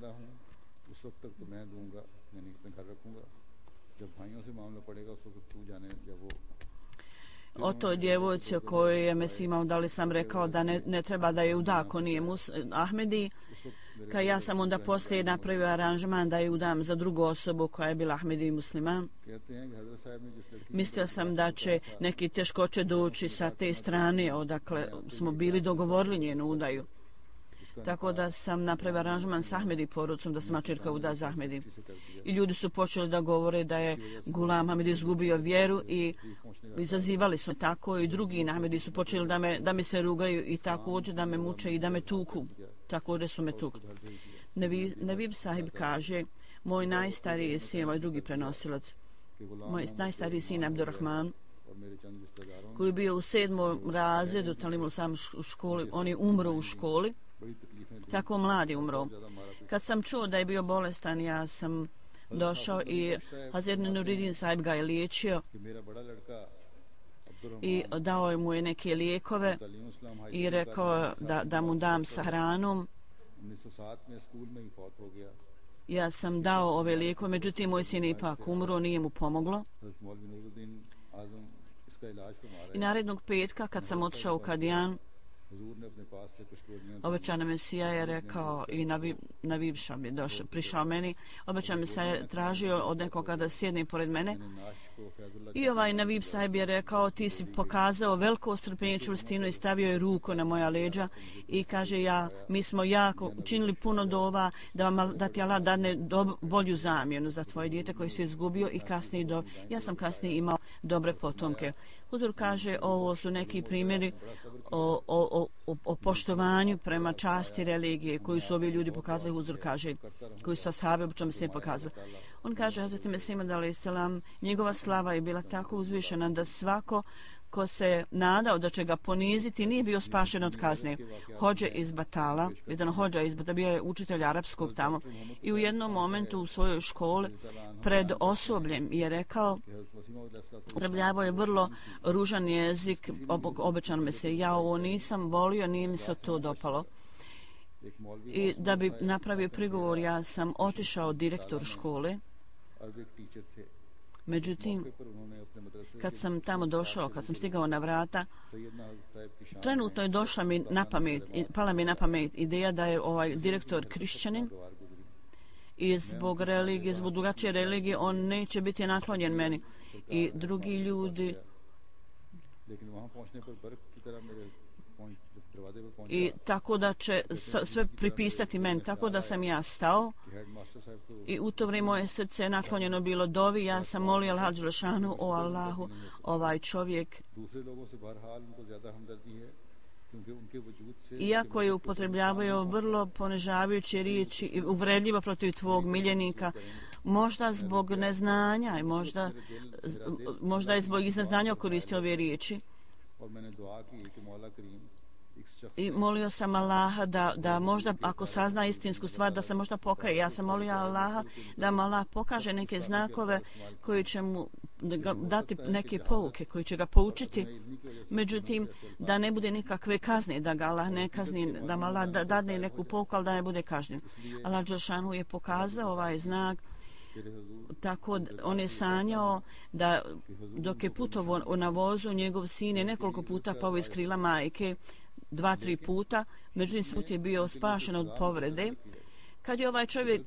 O toj djevojci o kojoj je Mesih imao, da li sam rekao da ne treba da je uda ako nije Ahmedi. Kad ja sam onda poslije napravio aranžman da je udam za drugu osobu koja je bila Ahmedi musliman. Mislio sam da će neki teškoće doći sa te strane odakle smo bili dogovorili njenu udaju. Tako da sam napravio aranžman s Ahmedi porodicom da se mačerka uda za Ahmedi. I ljudi su počeli da govore da je Gulam Ahmedi izgubio vjeru i izazivali su tako i drugi Ahmedi su počeli da mi se rugaju i također da me muče i da me tuku. Također su me tukli. Nevib sahib kaže, moj najstariji sin, moj drugi prenosilac, moj najstariji sin Abdurrahman, koji je bio u 7. razredu Talimul Sam u školi, on je umro u školi, tako mladi umro. Kad sam čuo da je bio bolestan, ja sam došao i Hazret Nuruddin sahib ga je liječio i dao mu je neke lijekove i rekao da mu dam sa hranom. Ja sam dao ove lijekove, međutim moj sin ipak umro, nije mu pomoglo. I narednog petka kad sam otišao u Kadijan, obećana Mesija je rekao i Navib Šab je prišao meni, obećana Mesija je tražio od nekoga da sjedne pored mene i ovaj Navib sahib je rekao, ti si pokazao veliko strpljenje, čvrstinu i stavio je ruku na moja leđa i kaže, mi smo jako učinili puno dova da ti Allah dadne bolju zamjenu za tvoje dijete koje si izgubio i kasnije ja sam kasnije imao dobre potomke. Huzur kaže, ovo su neki primjeri o poštovanju prema časti religije koju su ovi ljudi pokazali. Huzur kaže, koji su ashabi obično se pokazali. On kaže, Hazret Mesih a.s. njegova slava je bila tako uzvišena da svako ko se nadao da će ga poniziti nije bio spašen od kazne. Hođe iz Batala, jedan hođa iz Batala, bio je učitelj arapskog tamo i u jednom momentu u svojoj školi pred osobljem je rekao, upotrebljavao je vrlo ružan jezik, obećano me se, ja ovo nisam volio, nije mi se to dopalo. I da bi napravio prigovor, ja sam otišao direktor škole. Međutim, kad sam tamo došao, kad sam stigao na vrata, trenutno je došla mi na pamet, pala mi na pamet ideja da je ovaj direktor kršćanin i zbog religije, zbog drugačije religije, on neće biti naklonjen meni. I drugi ljudi i tako da će sve pripisati meni, tako da sam ja stao i u to vrijeme moje srce je naklonjeno bilo dovi, ja sam molio Allah dželešanu, o Allahu, ovaj čovjek iako je upotrebljavao vrlo ponižavajuće riječi i uvredljivo protiv tvog miljenika, možda zbog neznanja i možda je zbog neznanja koristio ove riječi. I molio sam Allaha da možda ako sazna istinsku stvar da se možda pokaje. Ja sam molio Allaha da mu Allah pokaže neke znakove koji će mu dati neke pouke, koji će ga poučiti. Međutim, da ne bude nikakve kazne, da ga Allah ne kazni, da mu Allah dadne neku pouku, ali da ne bude kažnjen. Allah dželešanu je pokazao ovaj znak. Tako on je sanjao da dok je putovao na vozu, njegov sin je nekoliko puta pao iz krila majke, 2-3 puta, međutim svud je bio spašen od povrede. Kad je ovaj čovjek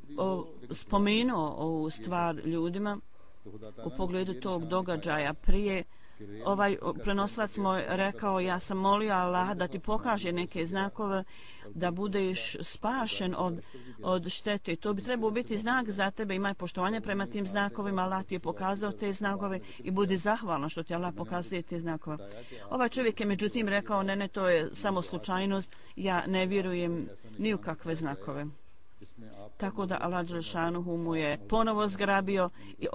spomenuo ovu stvar ljudima u pogledu tog događaja prije, ovaj prenosilac moj rekao, ja sam molio Allah da ti pokaže neke znakove da budeš spašen od štete. To bi trebao biti znak za tebe, imaj poštovanje prema tim znakovima, Allah ti je pokazao te znakove i budi zahvalan što ti Allah pokazuje te znakove. Ovaj čovjek je međutim rekao, ne, to je samo slučajnost, ja ne vjerujem ni u kakve znakove. Tako da Allah Đelešanuhu mu je ponovo zgrabio i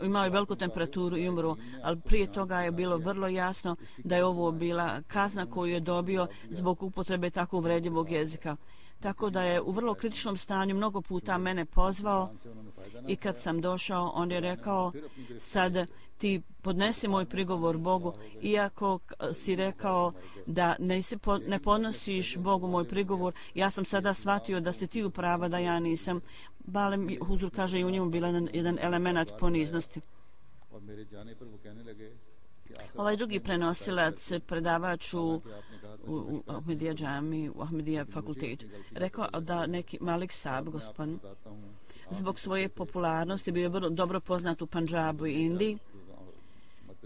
imao je veliku temperaturu i umro, ali prije toga je bilo vrlo jasno da je ovo bila kazna koju je dobio zbog upotrebe tako uvredljivog jezika. Tako da je u vrlo kritičnom stanju mnogo puta mene pozvao i kad sam došao, on je rekao, sad ti podnesi moj prigovor Bogu, iako si rekao da ne podnosiš Bogu moj prigovor, ja sam sada shvatio da si ti u prava, da ja nisam. Balem Huzur kaže i u njemu bila jedan element poniznosti. Ovaj drugi prenosilac, predavač u Ahmedija džami, u Ahmedija fakultetu, rekao da neki Malik Saab, gospodin, zbog svoje popularnosti bio je vrlo dobro poznat u Pandžabu i Indiji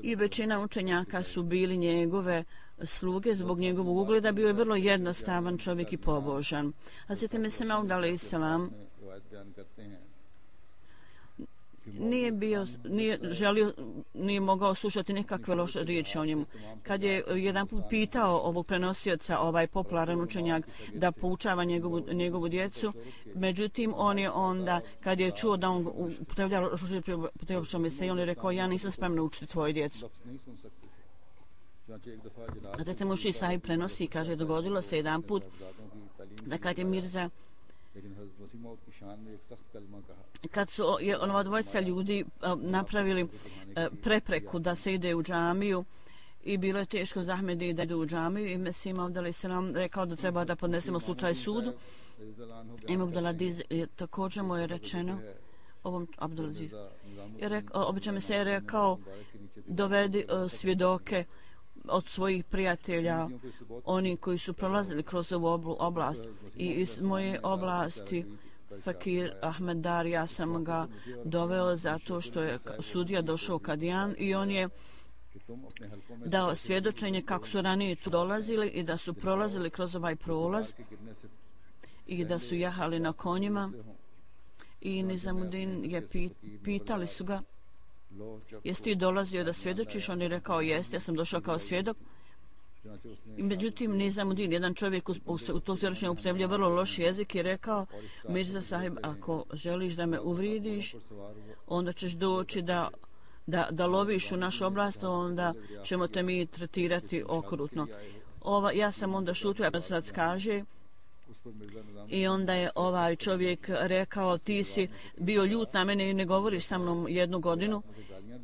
i većina učenjaka su bili njegove sluge zbog njegovog ugleda. Bio je vrlo jednostavan čovjek i pobožan. Hazret Mesih Maud alejhi selam nije mogao slušati nikakve loše riječi o njemu. Kad je jedan put pitao ovog prenosioca, ovaj popularan učenjak, da poučava njegovu djecu, međutim on je onda, kad je čuo da on upotrebljava Mesih, on je rekao, ja nisam spremna učiti tvoju djecu. Hazret Muši Sahib prenosi i kaže, dogodilo se jedan put da kad je Mirza kad su ova dvojica ljudi napravili prepreku da se ide u džamiju i bilo je teško za Ahmedi da idu u džamiju i Mesih Maud alejhi selam rekao da treba da podnesemo slučaj sudu. Imam Abdulaziz također mu je rečeno ovom Abdulaziz obično mi se je rekao dovedi svjedoke od svojih prijatelja, oni koji su prolazili kroz ovu oblast i iz moje oblasti Fakir Ahmed Dar, ja sam ga doveo zato što je sudija došao Kadijan i on je dao svjedočenje kako su ranije tu dolazili i da su prolazili kroz ovaj prolaz i da su jahali na konjima i Nizamuddin je pitali su ga, jesi ti dolazio da svjedočiš? On je rekao, jest, ja sam došao kao svjedok. I međutim, Nizamuddin, jedan čovjek u to svjedočenju upotrebljava vrlo loš jezik i rekao, Mirza Sahib, ako želiš da me uvridiš, onda ćeš doći da loviš u našu oblast, onda ćemo te mi tretirati okrutno. Ja sam onda šutio, a sad kaže, i onda je ovaj čovjek rekao, ti si bio ljut na mene i ne govoriš sa mnom 1 godinu,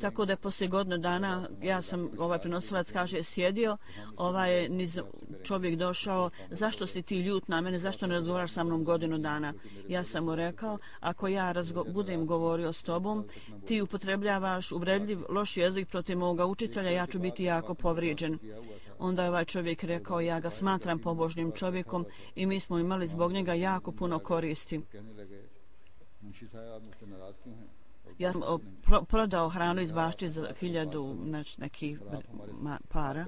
tako da je poslije godinu dana ja sam, ovaj prenosilac kaže, sjedio, ovaj čovjek došao, zašto si ti ljut na mene, zašto ne razgovaraš sa mnom 1 godinu dana? Ja sam mu rekao, ako ja budem govorio s tobom, ti upotrebljavaš uvredljiv, loš jezik protiv moga učitelja, ja ću biti jako povrijeđen. Onda je ovaj čovjek rekao, ja ga smatram pobožnim čovjekom i mi smo imali zbog njega jako puno koristi. Ja sam prodao hranu iz bašće za 1000 nekih para.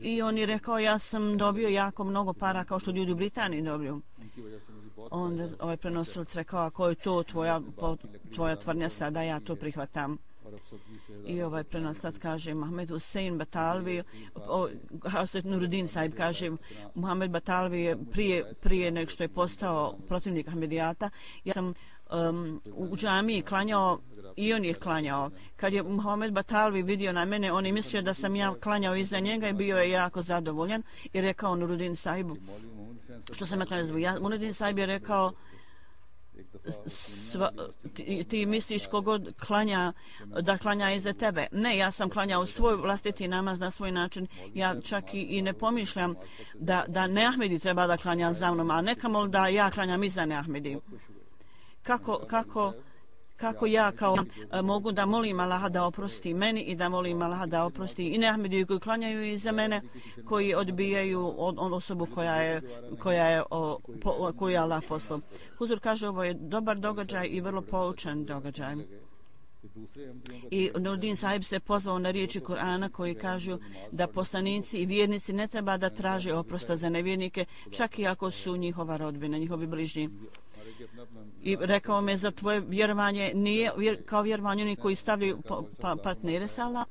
I on je rekao, ja sam dobio jako mnogo para kao što ljudi u Britaniji dobiju. Onda ovaj prenosilac rekao, ako je to tvoja tvrdnja sada, ja to prihvatam. I ovaj prenosilac kaže, Mohamed Hussein Batalvi, Hazret Nuruddin Sahib kaže, Mohamed Batalvi je prije nego što je postao protivnik Ahmedijata, ja sam u džamiji klanjao i on je klanjao. Kad je Mohamed Batalvi vidio na mene, on je mislio da sam ja klanjao iza njega i bio je jako zadovoljan i rekao Nuruddin Sahibu, što sam ja klanjao, Nuruddin Sahib je rekao, ti misliš kogod klanja da klanja iza tebe. Ne, ja sam klanjao svoj vlastiti namaz na svoj način. Ja čak i ne pomišljam da ne Ahmedi treba da klanja za mnom, a nekamo da ja klanjam iza ne Ahmedi. kako ja kao mogu da molim Allaha da oprosti meni i da molim Allaha da oprosti i Ahmediju koji klanjaju iza mene, koji odbijaju osobu koju je Allah poslao. Huzur kaže ovo je dobar događaj i vrlo poučan događaj. I Nurdin sahib se pozvao na riječi Kur'ana koji kažu da poslanici i vjernici ne treba da traže oprosta za nevjernike, čak i ako su njihova rodbina, njihovi bližnji. I rekao me za tvoje vjerovanje nije kao vjerovanje oni koji stavljaju partnere sa Allah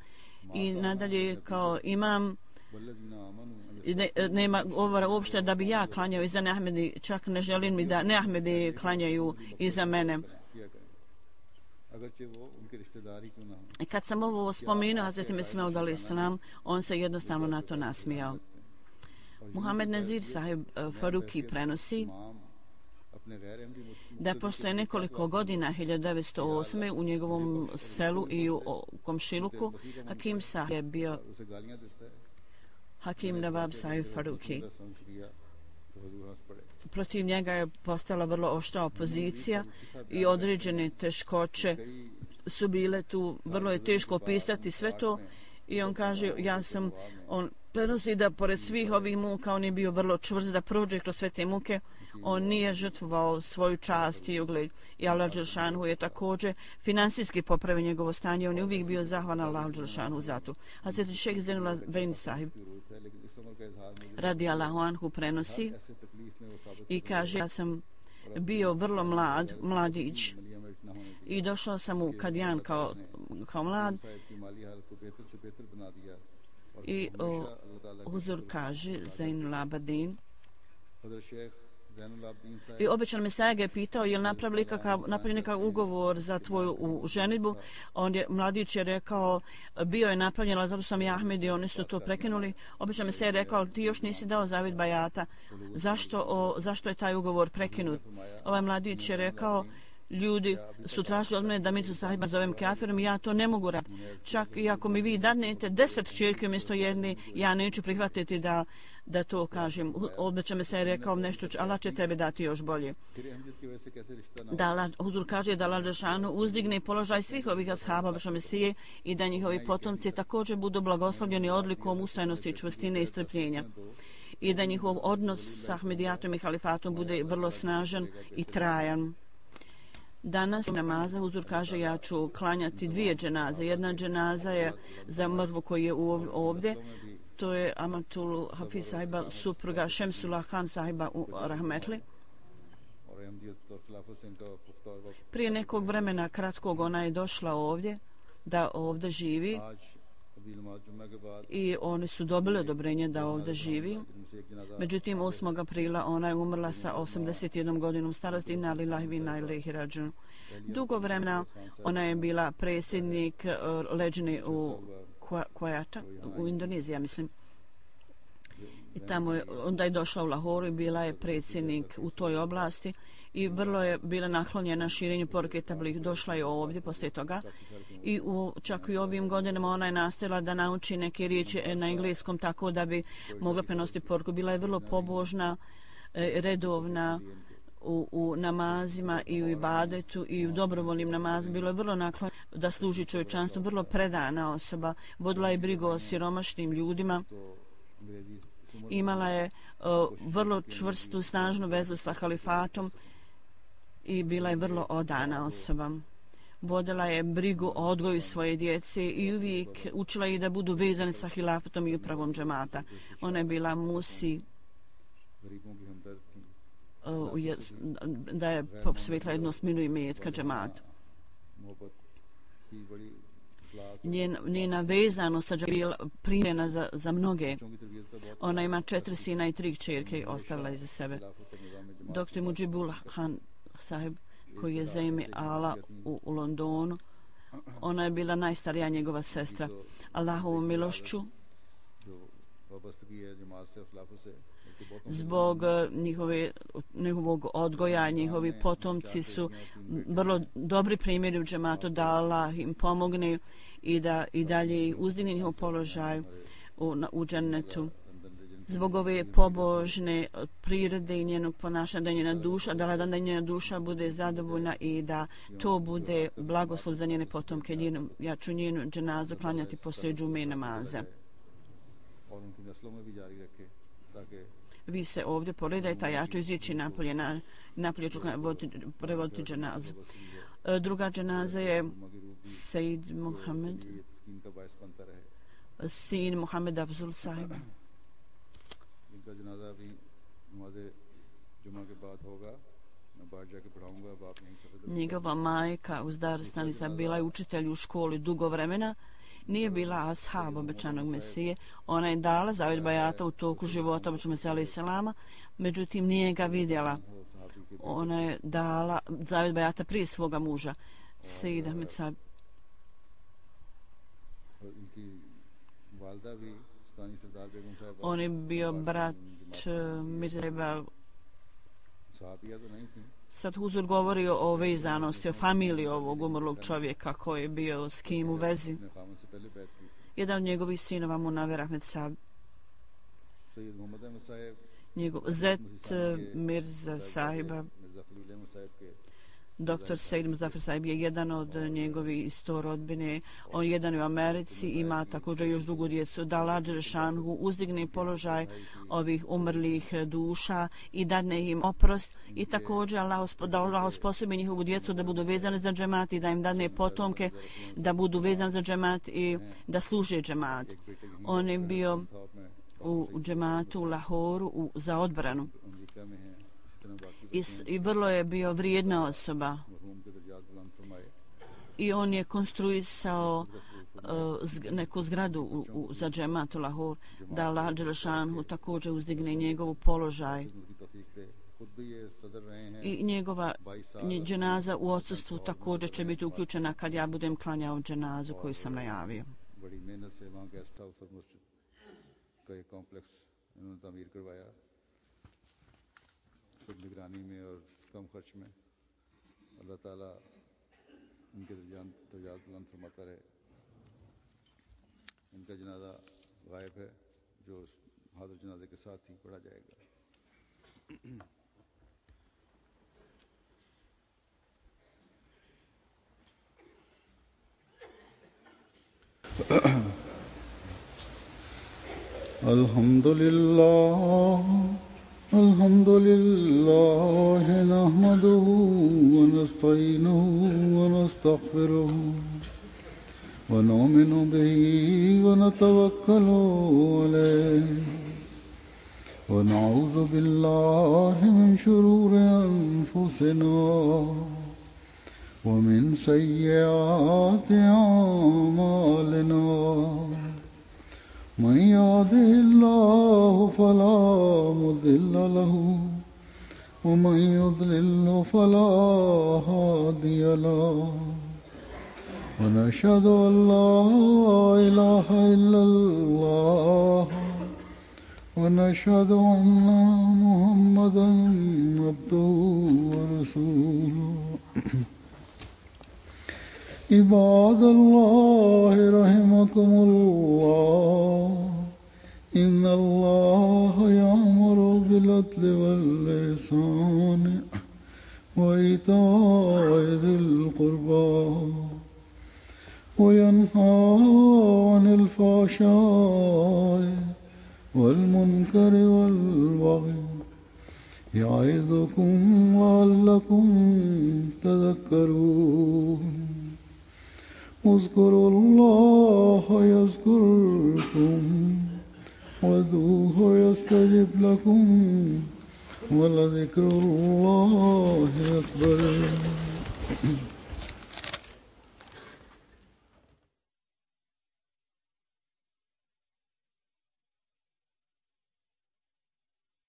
i nadalje kao imam nema govora uopšte da bi ja klanjao iza Ahmedi, čak ne želim mi da Ahmedi klanjaju iza mene. I kad sam ovo spomenuo Hazreti Mesih Maud alejhi selam, on se jednostavno na to nasmijao. Muhammed Nazir sahib Faruki prenosi da postoje nekoliko godina 1908. u njegovom selu i u komšiluku Hakim sahib je bio Hakim Nawab sahib Faruki. Protiv njega je postala vrlo oštra opozicija i određene teškoće su bile tu, vrlo je teško opisati sve to i on kaže on prenosi da pored svih ovih muka on je bio vrlo čvrst da prođe kroz sve te muke, on nije žrtvovao svoju čast i ugled i Allah dželešanu je također finansijski popravio njegovo stanje, on je uvijek bio zahvalan Allahu dželešanu za to. Hazreti Šejh Zainul Abidin sahib radijallahu anhu prenosi i kaže ja sam bio vrlo mladić i došao sam u Kadijan kao mlad i Huzur kaže Zainul Abidin i običan Mesaja ga je pitao je li napravili nekakav ugovor za tvoju ženidbu. Mladić je rekao bio je napravljen, ali zato sam ja Ahmed i oni su to prekinuli. Običan Mesaja je rekao ti još nisi dao zavjet bajata, zašto je taj ugovor prekinut? Ovaj mladić je rekao ljudi su tražili od mene da Mirza sahiba zovem kafirom i ja to ne mogu raditi. Čak i ako mi vi dadnete 10 kćerki umjesto jedne, ja neću prihvatiti da to kažem. Obeća me se je rekao nešto, Allah će tebe dati još bolje. Huzur kaže da Allah dželešanu uzdigne položaj svih ovih ashaba Božje Mesije i da njihovi potomci također budu blagoslovljeni odlikom ustrajnosti, čvrstine i strpljenja. I da njihov odnos s Ahmedijatom i halifatom bude vrlo snažan i trajan. Danas namaza Huzur kaže ja ću klanjati 2 dženaze. Jedna dženaza je za mrtvu koji je ovdje. To je Amatul Hafiz sahiba, supruga Šemsullah Khan sahiba u Rahmetli. Prije nekog vremena kratkog ona je došla ovdje, da ovdje živi i oni su dobili odobrenje da ovdje živi. Međutim, 8. aprila ona je umrla sa 81 godinom starosti. Inna lillahi wa inna ilaihi rađun. Dugo vremena ona je bila predsjednik leđne u Kuwaita, u Indoneziji, mislim. I tamo je, onda je došla u Lahoru i bila je predsjednik u toj oblasti i vrlo je bila naklonjena širenju poruke tablih. Došla je ovdje poslije toga i čak i ovim godinama ona je nastavila da nauči neke riječi na engleskom tako da bi mogla prenositi poruku. Bila je vrlo pobožna, redovna u namazima i u ibadetu i u dobrovoljnim namazima. Bilo je vrlo naklonjena da služi čovječanstvu, vrlo predana osoba. Vodila je brigu o siromašnim ljudima. Imala je vrlo čvrstu, snažnu vezu sa halifatom i bila je vrlo odana osoba. Vodila je brigu o odgoju svoje djece i uvijek učila ih da budu vezani sa hilafatom i upravom džemata. Ona je bila musi da je posvetila jednosminu i metka džemata. Njena vezanost je bila primjena za mnoge. Ona ima 4 sina i 3 kćerke ostavila iza sebe. Dr. Mujibullah Khan sahib, koji je Zaimi Ala u Londonu, ona je bila najstarija njegova sestra. Allahovom milošću, zbog njihovog odgoja, njihovi potomci su vrlo dobri primjeri u džematu, da Allah im pomogne i da i dalje uzdigne njihov položaj u džennetu. zbog ove pobožne prirode i njenog ponašanja, da njena duša, da njena duša bude zadovoljna i da to bude blagoslov za njene potomke. Ja ću njenu dženazu klanjati poslije džume namaza. Vi se ovdje poredajte, a ja ću izići napolje ću prevoditi dženazu. Druga dženaza je Sejid Mohamed, sin Mohamed Afzul sahiba. Njegova majka Uzdar Stanisa bila je učitelj u školi dugo vremena. Nije bila ashab obećanog Mesije. Ona je dala zavjet bajata u toku života obećanog Mesija alaih salama, međutim nije ga vidjela. Ona je dala zavjet bajata prije svoga muža, Sejid Ahmed Sahib. On je bio brat Mirzeba. Sad Huzur govori o vezanosti, o familiji ovog umrlog čovjeka koji je bio s kim u vezi. Jedan od njegovih sinova Munaver Ahmed Sahib, njegov zet Mirza Sahiba, Dr. Sejid Muzafer Sahib je jedan od njegovih isto rodbine. On jedan u Americi, ima također još drugu djecu. Da Allah Đelešanu uzdigne položaj ovih umrlih duša i dadne im oprost i također da Allah osposobi njihovu djecu da budu vezane za džemat i da im dadne potomke da budu vezane za džemat i da služe džemat. On je bio u džematu u Lahoru za odbranu. I vrlo je bio vrijedna osoba i on je konstruisao neku zgradu za džemat u Lahor, da Allah Đelešanu također uzdigne njegovu položaj i njegova dženaza u odsustvu također će biti uključena kad ja budem klanjao dženazu koju sam najavio. खुद निगरानी में और कम खर्च में अल्लाह ताला इनके दर्जात बुलंद फरमाता रहे। इनका जनाजा गायब है जो हाजिर जनाजे के साथ ही पढ़ा जाएगा। الحمد لله نحمده ونستعينه ونستغفره ونؤمن به ونتوكل عليه ونعوذ بالله من شرور أنفسنا ومن سيئات أعمالنا من يهده الله فلا مضل له ومن يضلل فلا هادي له ونشهد أن لا إله إلا الله ونشهد أن محمدا عبده ورسوله عباد الله رحمكم الله إن الله يأمر بالعدل والإحسان وإيتاء ذي القربى وينهى عن الفحشاء والمنكر والبغي يعظكم لعلكم تذكرون اذكروا الله يذكركم وادعوه يستجب لكم ولذكر الله أكبر